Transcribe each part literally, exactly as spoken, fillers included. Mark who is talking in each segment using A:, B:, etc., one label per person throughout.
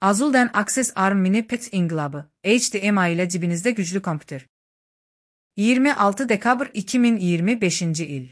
A: Azul'dan Access Arm Mini Pet İnqilabı, H D M I ile cibinizde güclü kompüter. yirmi altı dekabr iki min iyirmi beşinci il.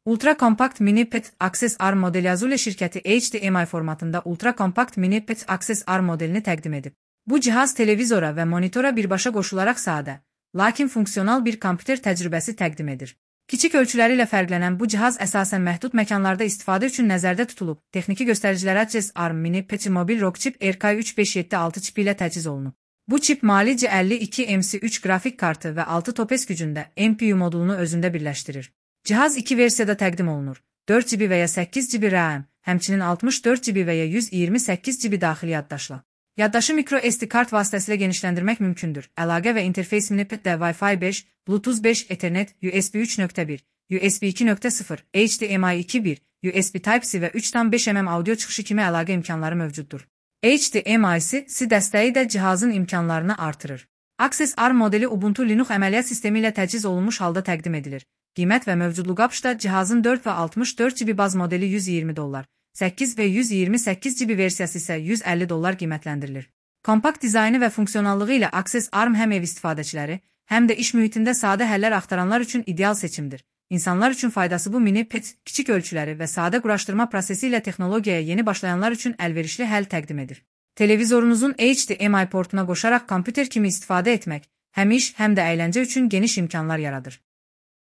A: Ultra Compact Mini Pet Access Arm modeli Azul şirkəti H D M I formatında Ultra Compact Mini Pet Access Arm modelini təqdim edib. Bu cihaz televizora və monitora birbaşa qoşularaq sadə, lakin funksional bir kompüter təcrübəsi təqdim edir. Kiçik ölçüləri ilə fərqlənən bu cihaz əsasən məhdud məkanlarda istifadə üçün nəzərdə tutulub. Texniki göstəricilərə Access Arm Mini Pet mobil rock chip R K üç beş yeddi altı çipi ilə təchiz olunub. Bu çip Mali C əlli iki M C üç qrafik kartı və altı topes gücündə M P U modulunu özündə birləşdirir. Cihaz iki versiyada təqdim olunur. dörd GB və ya səkkiz GB RAM, həmçinin altmış dörd GB və ya yüz iyirmi səkkiz GB daxili yaddaşla. Yaddaşı micro S D kart vasitəsilə genişləndirmək mümkündür. Əlaqə və interfeys Mini Petdə Wi-Fi beş, Bluetooth beş, Ethernet, U S B üç nöqtə bir, U S B iki nöqtə sıfır, H D M I iki nöqtə bir, U S B Type-C və üç nöqtə beş mm audio çıxışı kimi əlaqə imkanları mövcuddur. H D M I-C dəstəyi də cihazın imkanlarını artırır. Access Arm modeli Ubuntu Linux əməliyyat sistemi ilə təchiz olunmuş halda təqdim edilir. Qiymət və mövcudluq apışda cihazın dörd və altmış dörd GB baz modeli yüz iyirmi dollar, səkkiz və yüz iyirmi səkkiz GB versiyası isə yüz əlli dollar qiymətləndirilir. Kompakt dizaynı və funksiyonallığı ilə Access Arm həm ev istifadəçiləri, həm də iş mühitində sadə həllər axtaranlar üçün ideal seçimdir. İnsanlar üçün faydası bu mini pet, kiçik ölçüləri və sadə quraşdırma prosesi ilə texnologiyaya yeni başlayanlar üçün əlverişli həll təqdim edir. Televizorunuzun H D M I portuna qoşaraq kompüter kimi istifadə etmək, həm iş, həm də əyləncə üçün geniş imkanlar yaradır.